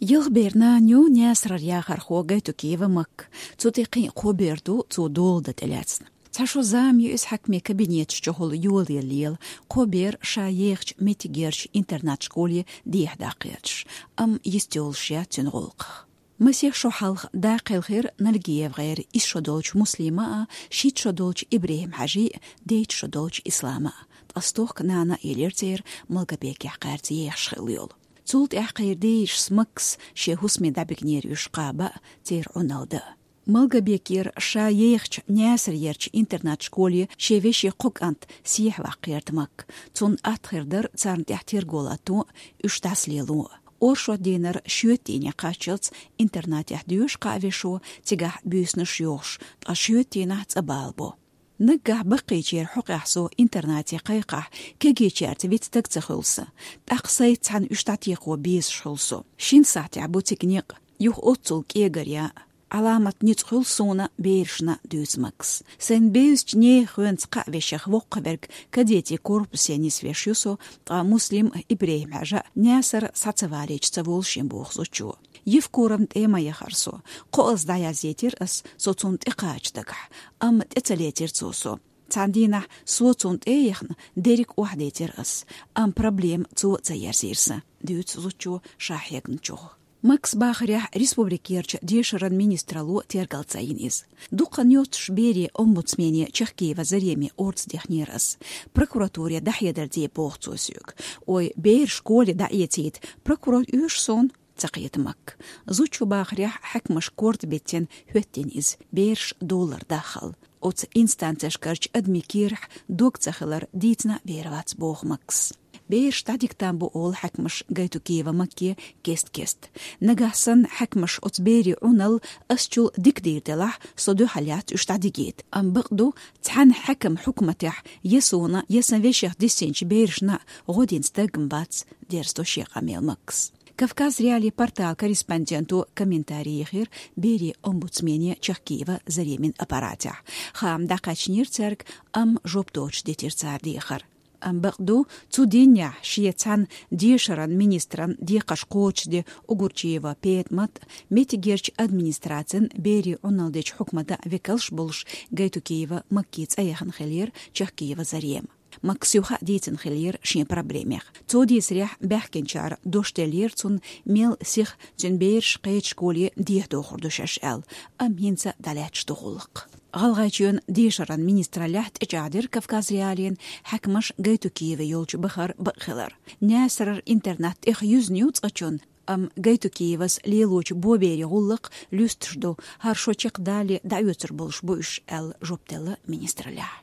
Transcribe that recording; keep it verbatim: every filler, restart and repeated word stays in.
Ялх бер нана ю Наьсарера яхархо Гайтукиева Макка. Цу тӀа кхин а кхо бер ду цо дола дан тӀелаьцна. Цхьа шо зама ю иза хьаькамийн кабинеташ чухула йолаелла лела, кхо бер ша ехачу меттигерчу интернат-школе дехьадаккха гӀерташ, амма йист йолуш яц цуьнан гӀуллакхах. Масех шо хьалха даккхийла хир НальгиевгӀеран исс шо долчу Муслима а, шийтта шо долчу ИбрахӀим-Хьаьжин а, дейтта шо долчу Ислама а. Ткъа стохка нана а елира церан Малгобекехь кхаьрца ехаш хилла йолу. Цул тӀаьхьа кхеран дийшас Маккас шен хӀусаме дӀабигнера уьш кхаба а, церан Ӏуналла дан а. Малгобекера ша ехачу Наьсарерчу интернат-школе шен вешин кхо кӀант сехьаваккха гӀерта Макка. Цунна атта хир дара царна тӀехь терго латто а, уьш дӀасалело а. Оршот дийнара шоьтан дийне кхаччалц интернатехь доьшу кхаа вешо, цигахь буьйсанаш йохуш, ткъа шоьтан дийнахь цӀа бала бо. Наггахь баккхийчеран хьокъехь со интернате кхайкхахь, кегийчаьрца виц стаг ца хуьлу сан. ТӀаккха сайца цхьаьна уьш дӀатекхо безаш хуьлу со. Шина сахьтехь бу цига некъ, юха оццул кӀегар ян а. Ӏаламат ницкъ хуьлу суна берашна, дуьйцу Маккас. Сайн бевзачу нехан хенца кхаа вешех воккхаверг кадетийн корпусе нисвеш ю со, ткъа Муслим а, ИбрахӀим-Хьаьжа а Наьсаре схьа ца валийча ца волу шен боху зудчо. Евкуровна тӀе ма яхара со. КхоалгӀа дӀаязйийтира ас, со цунна тӀекхача дагахь, амма тӀе ца лецира цо со. Цхьана дийнахь со цунна тӀе а яхна, дерриг охьадийцира ас, амма проблема цо а ца ерзийра сан, дуьйцу зудчо ша хьегначух. Маккас бахарехь, республикерчу дешаран министралло тергалца йина иза. Дукха йоццуш берийн омбудсмене Чахкиева Зареме орца дехнера ас. Прокуратуре дӀахьедар де боху цо соьга. Ой, бераш школе дӀаэцийта прокурор оьшу суна, ца кхета Макка. Зудчо бахарехь, хьаькамаша корта беттина хӀоьттина иза, бераш долара даххал. Оцу инстанцешкарчу адамийн кийрахь дог ца хилар дийцина а бер вац боху Маккас. Бераш дӀадика там бу олу хьаькамаша Гайтукиева Макке кест-кеста. Нагахь санна хьаькамаша оцу берийн Ӏуналла ас чул дика дийр делахь, со дуьхьал яц уьш дӀадигийта. Амма бакъ ду, цхьана хьаькаман хьукматехь я суна, я сан вешех диссинчу берашна а гӀо дина стаг-м вац, дерзадо шен къамел Маккас. Кавказ.Реалии порталан корреспонденто комментарий йихира берийн омбудсмене Чахкиева Заремин аппаратехь. Хаам дӀакхаьчнера цаьрга, амма жоп доцуш дитира цара дехар. Амма бакъ ду, цу дийнахь шен цхьана дешаран министран декхарш кхочушде Угурчиева ПетӀамат а, меттигерчу администрацин берийн Ӏуналла дечу хьукматан векалш а болуш, Гайтукиева Макке цӀа яхна хиллера Чахкиева Зарема. Маккас юха а дийцина хиллера шен проблемех. Цо дийцарехь, баьхкинчара дош деллера цунна, мел сиха цуьнан бераш кхечу школе дехьадохур ду шаьш аьлла, амма хӀинца дӀалаьтташ ду гӀуллакх. ГӀалгӀайчоьнан дешаран министраллехь тӀечӀагӀдира Кавказ.Реалиина хьаькамаша Гайтукиева йолчу бахара бакъ хилар. Наьсарера интернат тӀех юьзна ю цкъачунна, амма Гайтукиевас лелочу боберийн гӀуллакх луьстуш ду, хӀара шо чекхдалале дӀаоьцур болуш бу уьш, аьлла жоп делла министраллехь.